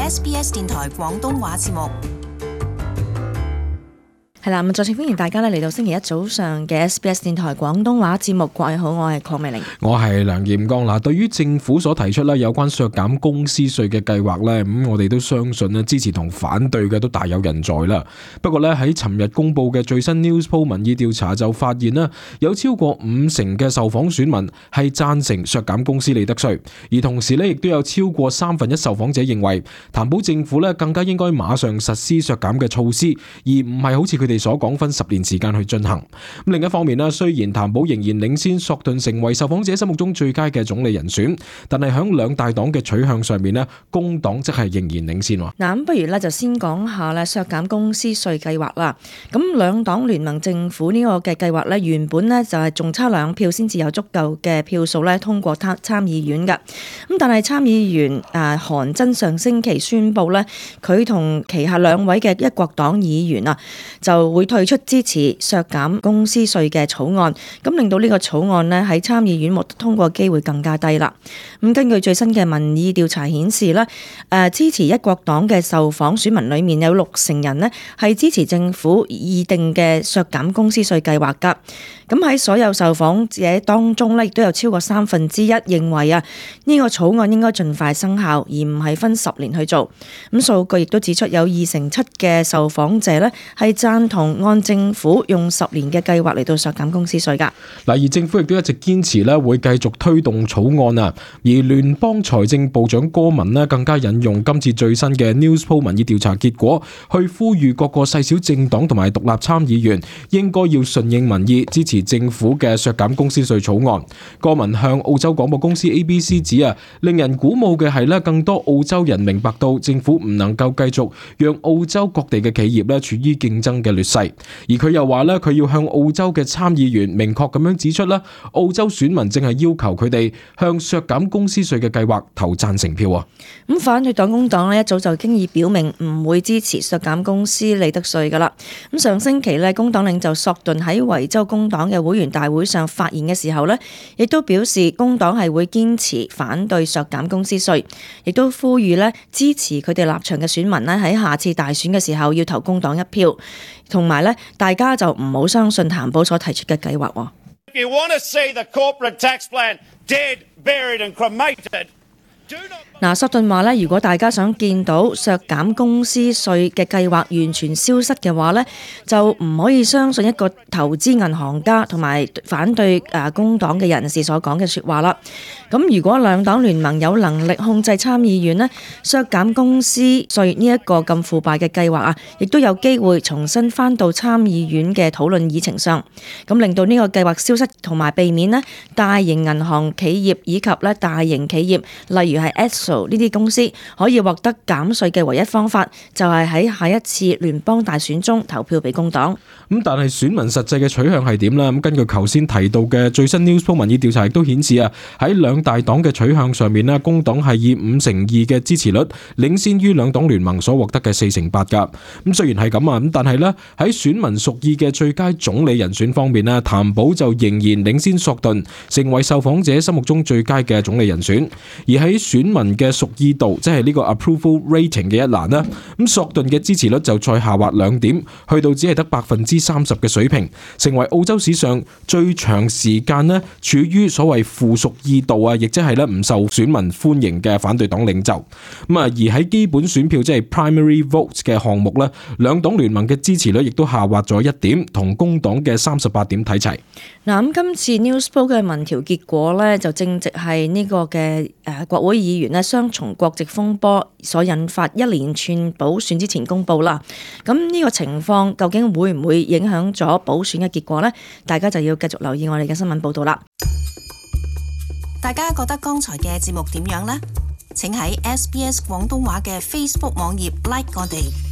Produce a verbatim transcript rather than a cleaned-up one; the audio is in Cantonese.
S B S 電台廣東話節目。係啦，咁再次歡迎大家咧嚟到星期一早上嘅 S B S 電台廣東話節目。各位好，我係鄺美玲，我係梁彥剛。嗱，對於政府所提出咧有關削減公司稅嘅計劃咧，咁我哋都相信咧支持同反對嘅都大有人在啦。不過咧喺尋日公布嘅最新 Newspoll 民意調查就發現咧，有超過五成嘅受訪選民係贊成削減公司利得稅，而同時咧亦都有超過三分一受訪者認為，擔保政府咧更加應該馬上實施削減嘅措施，而唔係好似佢哋所講分十年時間去進行。咁另一方面咧，雖然譚寶仍然領先索頓成為受訪者心目中最佳嘅總理人選，但係響兩大黨嘅取向上面咧，工黨則係仍然領先。嗱，咁不如咧就先講下咧削減公司稅計劃啦。咁兩黨聯盟政府呢個嘅計劃咧，原本咧就係仲差兩票先至有足夠嘅票數咧通過參參議院嘅。咁但係參議員誒韓真上星期宣布咧，佢同旗下兩位嘅一國黨議員啊就會退出支持削減公司稅嘅草案，咁令到呢個草案呢喺參議院獲得通過機會更加低啦。咁根據最新嘅民意調查顯示呢，誒支持一國黨嘅受訪選民裏面有六成人呢係支持政府擬定嘅削減公司稅計劃噶。咁喺所有受訪者當中呢，亦都有超過三分之一認為啊呢個草案應該盡快生效，而唔係分十年去做。咁數據亦都指出有二成七嘅受訪者呢係贊同按政府用十年嘅計劃嚟到削減公司稅㗎。嗱，而政府亦都一直堅持咧會繼續推動草案啊。而聯邦財政部長戈文咧更加引用今次最新嘅 Newspoll 民意調查結果，去呼籲各個細小政黨同埋獨立參議員應該要順應民意，支持政府嘅削減公司稅草案。戈文向澳洲廣播公司 A B C 指啊，令人鼓舞嘅係咧，更多澳洲人明白到政府唔能夠繼續讓澳洲各地嘅企業咧處於競爭嘅劣勢。而佢又話咧，佢要向澳洲嘅參議員明確咁樣指出啦，澳洲選民正係要求佢哋向削減公司稅嘅計劃投贊成票啊。咁反對黨工黨咧一早就經已表明唔會支持削減公司利得稅噶啦。咁上星期咧，工黨領袖索頓喺維州工黨嘅會員大會上發言嘅時候咧，亦都表示工黨係會堅持反對削減公司稅，亦都呼籲咧支持佢哋立場嘅選民咧喺下次大選嘅時候要投工黨一票，同埋咧大家就唔好相信譚寶所提出嘅計劃。If you want to see the corporate tax plan dead, buried and cremated, do not... 嗱，索頓話咧，如果大家想見到削減公司稅嘅計劃完全消失嘅話咧，就唔可以相信一個投資銀行家同埋反對誒工黨嘅人士所講嘅説話啦。咁如果兩黨聯盟有能力控制參議院咧，削減公司稅呢一個咁腐敗嘅計劃啊，亦都有機會重新翻到參議院嘅討論議程上，咁令到呢個計劃消失，同埋避免咧大型銀行企業以及咧大型企業，例如係 S 呢啲公司可以獲得減稅嘅唯一方法，就係喺下一次聯邦大選中投票俾工黨。咁但係選民實際嘅取向係點呢？咁根據頭先提到嘅最新 Newspoll 民意調查亦都顯示啊，喺兩大黨嘅取向上面呢，工黨係以五成二嘅支持率領先於兩黨聯盟所獲得嘅四成八噶。咁雖然係咁啊，咁但係呢，喺選民屬意嘅最佳總理人選方面呢，譚寶就仍然領先索頓，成為受訪者心目中最佳嘅總理人選。而喺選民嘅屬意度，即係呢個 approval rating 嘅一欄啦，咁索頓嘅支持率就再下滑兩點，去到只係得百分之三十嘅水平，成為澳洲史上最長時間呢處於所謂負屬意度啊，亦即係咧唔受選民歡迎嘅反對黨領袖。咁啊，而喺基本選票即係 primary votes 嘅項目咧，兩黨聯盟嘅支持率亦都下滑咗一點，同工黨嘅三十八點睇齊。嗱，咁今次 Newspoll 嘅民調結果咧，就正值係呢個嘅誒國會議員咧雙重國籍風波所引發一連串補選之前公佈啦。咁呢個情況究竟會唔會影響咗補選嘅結果呢？大家就要繼續留意我哋嘅新聞報導啦。大家覺得剛才嘅節目點樣呢？請喺 S B S 廣東話嘅 Facebook 網頁 like 我哋。